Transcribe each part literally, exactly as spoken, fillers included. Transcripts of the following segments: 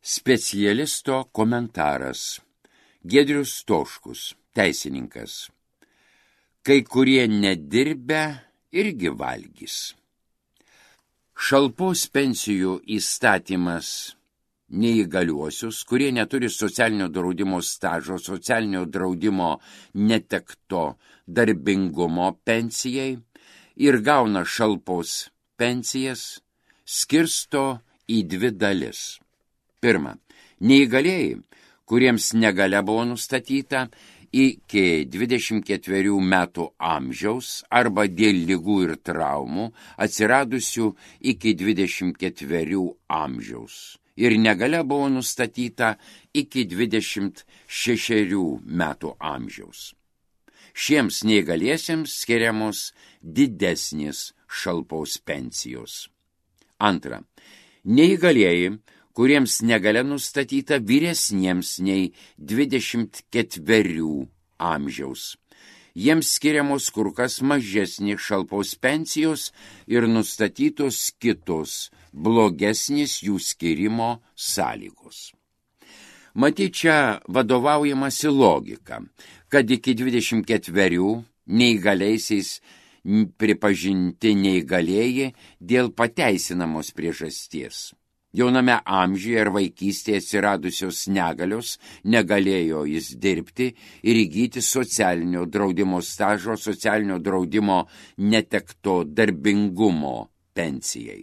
Specialisto komentaras. Giedrius Stoškus, teisininkas. Kai kurie nedirbę irgi valgys. Šalpos pensijų įstatymas neįgaliuosius, kurie neturi socialinio draudimo stažo, socialinio draudimo netekto darbingumo pensijai ir gauna šalpos pensijas, skirsto į dvi dalis. Pirma, neįgalėjai, kuriems negalia buvo nustatyta iki dvidešimt ketverių metų amžiaus arba dėl ligų ir traumų atsiradusių iki dvidešimt ketverių amžiaus ir negalia buvo nustatyta iki dvidešimt šešerių metų amžiaus. Šiems neįgaliesiems skiriamos didesnės šalpos pensijos. Antra, neįgalieji, kuriems negalia nustatyta vyresniems nei dvidešimt ketverių amžiaus. Jiems skiriamos kur kas mažesnės šalpos pensijos ir nustatytos kitos blogesnės jų skirimo sąlygos. Matyt, čia vadovaujamasi logika, kad iki dvidešimt ketverių neįgaliaisiais pripažinti neįgalieji dėl pateisinamos priežasties. Jauname amžiuje ir vaikystėje atsiradusios negalios negalėjo jis dirbti ir įgyti socialinio draudimo stažo, socialinio draudimo netekto darbingumo pensijai.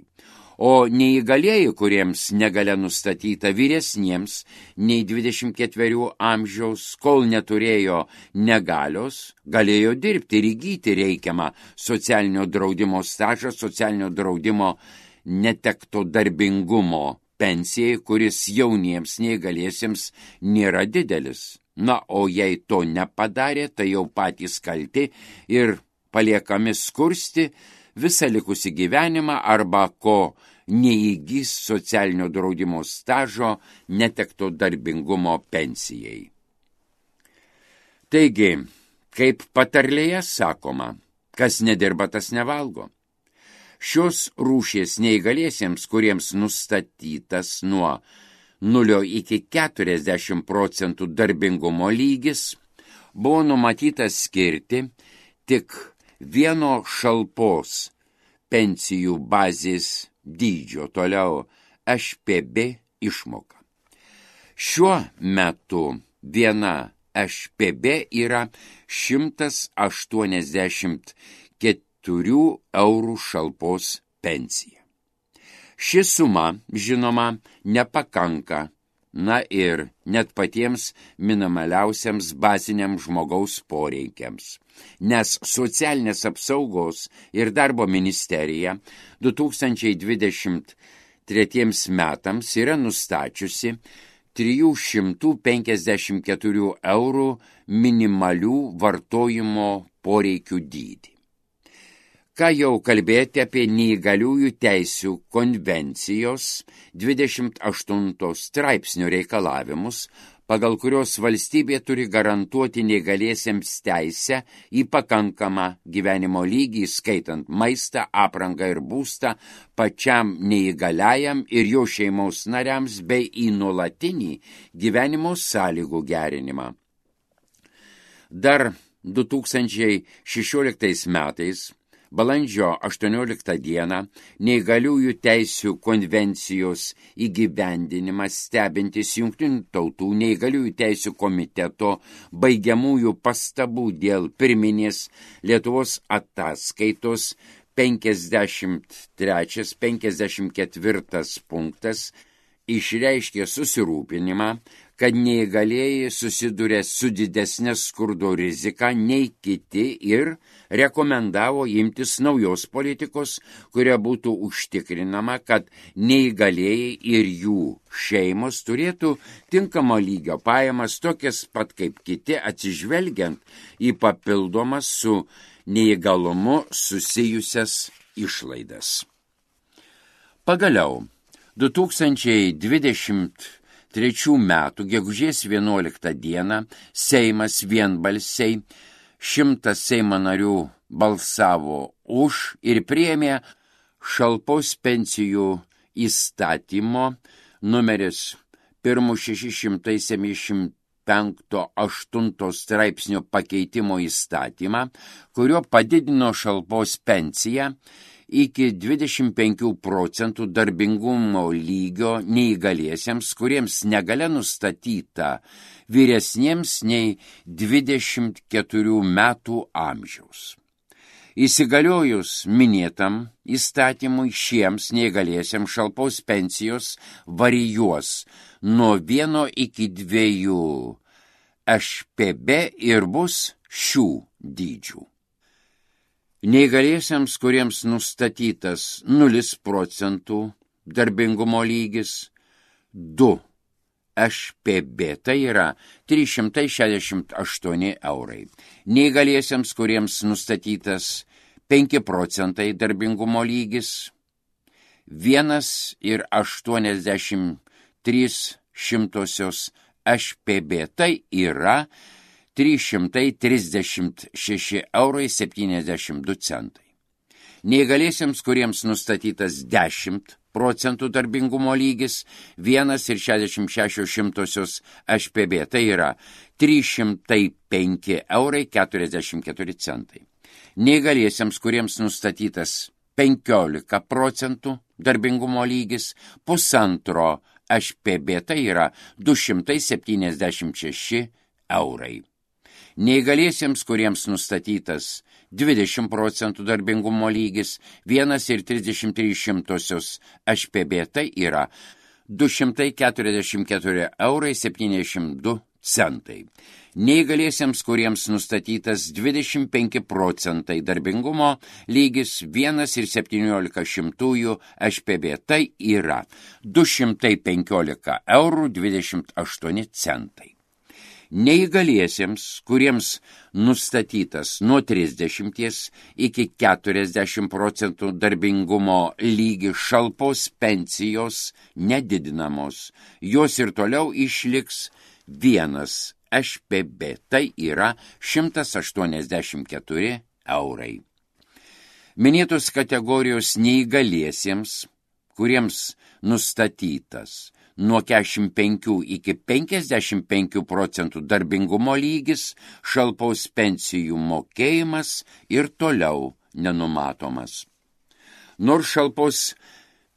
O neįgalieji, kuriems negalia nustatyta vyresniems nei dvidešimt ketverių amžiaus, kol neturėjo negalios, galėjo dirbti ir įgyti reikiamą socialinio draudimo stažą, socialinio draudimo netekto darbingumo pensijai, kuris jauniems neįgaliesiems nėra didelis. Na, o jei to nepadarė, tai jau patys kalti ir paliekami skursti visą likusį gyvenimą arba ko neįgys socialinio draudimo stažo netekto darbingumo pensijai. Taigi, kaip patarlėje sakoma, kas nedirba, tas nevalgo. Šios rūšies neįgaliesiems, kuriems nustatytas nuo nulio iki keturiasdešimt procentų darbingumo lygis, buvo numatytas skirti tik vieno šalpos pensijų bazės dydžio, toliau Š P B išmoka. Šiuo metu viena Š P B yra šimtas aštuoniasdešimt keturių eurų šalpos pensija. Ši suma, žinoma, nepakanka, na ir net patiems minimaliausiams baziniams žmogaus poreikiams, nes socialinės apsaugos ir darbo ministerija du tūkstančiai dvidešimt tretiems metams yra nustačiusi trijų šimtų penkiasdešimt keturių eurų minimalių vartojimo poreikių dydį. Ką jau kalbėti apie neįgaliųjų teisių konvencijos dvidešimt aštuntos straipsnio reikalavimus, pagal kurios valstybė turi garantuoti neįgaliesiems teisę į pakankamą gyvenimo lygį, skaitant maistą, aprangą ir būstą pačiam neįgaliajam ir jo šeimos nariams bei į nuolatinį gyvenimo sąlygų gerinimą. Dar du tūkstančiai šešioliktais metais balandžio aštuonioliktą dieną neįgaliųjų teisių konvencijos įgyvendinimas stebintis Jungtinių tautų neįgaliųjų teisių komiteto baigiamųjų pastabų dėl pirminės Lietuvos ataskaitos penkiasdešimt trečias penkiasdešimt ketvirtas punktas išreiškė susirūpinimą, kad neįgalieji susiduria su didesnė skurdo rizika nei kiti ir rekomendavo imtis naujos politikos, kuria būtų užtikrinama, kad neįgalieji ir jų šeimos turėtų tinkamo lygio pajamas, tokias pat kaip kiti, atsižvelgiant į papildomas su neįgalumu susijusias išlaidas. Pagaliau, du tūkstančiai dvidešimt trečių metų gegužės vienuoliktą dieną Seimas vienbalsiai šimtas Seimo narių balsavo už ir priėmė šalpos pensijų įstatymo numeris pirmu šeši šimtai septyniasdešimt penkto aštunto straipsnio pakeitimo įstatymą, kurio padidino šalpos pensiją iki dvidešimt penkių procentų darbingumo lygio neįgaliesiems, kuriems negalia nustatyta vyresniems nei dvidešimt keturių metų amžiaus. Įsigaliojus minėtam įstatymui šiems neįgaliesiems šalpos pensijos varijuos nuo vieno iki dviejų š p b ir bus šių dydžių. Neįgaliesiems, kuriems nustatytas nulis procentų darbingumo lygis, du š p b, tai yra trys šimtai šešiasdešimt aštuoni eurai. Neįgaliesiems, kuriems nustatytas penki procentai darbingumo lygis, vienas ir aštuoniasdešimt trys šimtosios š p b, tai yra trys šimtai trisdešimt šeši eurai septyniasdešimt du centai. Neįgaliesiems, kuriems nustatytas dešimt procentų darbingumo lygis, vienas ir šešiasdešimt šešios šimtosios š p b, tai yra trys šimtai penki eurai keturiasdešimt keturi centai. Neįgaliesiems, kuriems nustatytas penkiolika procentų darbingumo lygis, pusantro š p b, tai yra du šimtai septyniasdešimt šeši eurai. Neįgaliesiems, kuriems nustatytas dvidešimt procentų darbingumo lygis, vienas ir trisdešimt trys šimtosios š p b, tai yra du šimtai keturiasdešimt keturi eurai septyniasdešimt du centai. Neįgaliesiems, kuriems nustatytas dvidešimt penki procentai darbingumo lygis, vienas ir septyniolika šimtųjų š p b, tai yra du šimtai penkiolika eurų dvidešimt aštuoni centai. Neįgaliesiems, kuriems nustatytas nuo trisdešimties iki keturiasdešimt procentų darbingumo lygis, šalpos pensijos nedidinamos, jos ir toliau išliks vienas š p b, tai yra šimtas aštuoniasdešimt keturi eurai. Minėtos kategorijos neįgaliesiems, kuriems nustatytas nuo keturiasdešimt penkių iki penkiasdešimt penkių procentų darbingumo lygis, šalpos pensijų mokėjimas ir toliau nenumatomas. Nors šalpos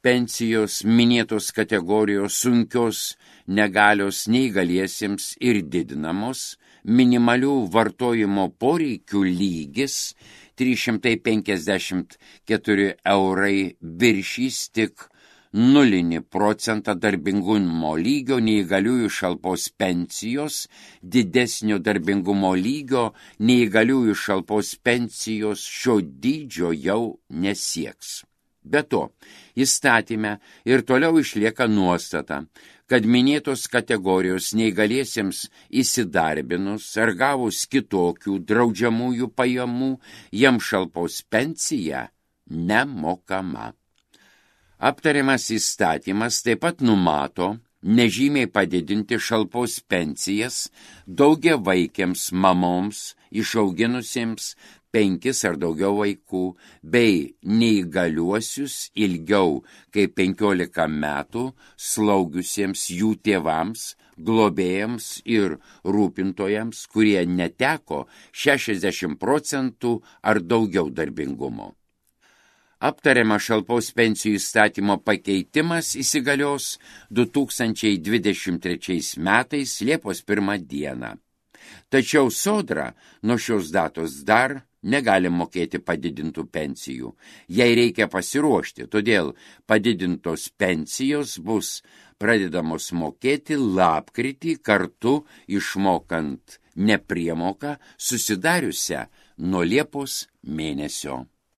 pensijos minėtos kategorijos sunkios negalios neįgaliesiems ir didinamos, minimalių vartojimo poreikių lygis trys šimtai penkiasdešimt keturi eurai viršys tik nulinį procentą darbingumo lygio neįgaliųjų šalpos pensijos, didesnio darbingumo lygio neįgaliųjų šalpos pensijos šio dydžio jau nesieks. Be to, įstatyme ir toliau išlieka nuostata, kad minėtos kategorijos neįgaliesiems įsidarbinus ar gavus kitokių draudžiamųjų pajamų, jam šalpos pensija nemokama. Aptariamas įstatymas taip pat numato nežymiai padidinti šalpos pensijas daugiavaikėms mamoms išauginusiems penkis ar daugiau vaikų, bei neįgaliuosius ilgiau kaip penkiolika metų slaugiusiems jų tėvams, globėjams ir rūpintojams, kurie neteko šešiasdešimt procentų ar daugiau darbingumo. Aptariama šalpos pensijų įstatymo pakeitimas įsigalios du tūkstančiai dvidešimt trečiais metais Liepos pirmą dieną. Tačiau sodra nuo šios datos dar negali mokėti padidintų pensijų. Jai reikia pasiruošti, todėl padidintos pensijos bus pradedamos mokėti lapkritį kartu išmokant nepriemoką susidariusią nuo Liepos mėnesio.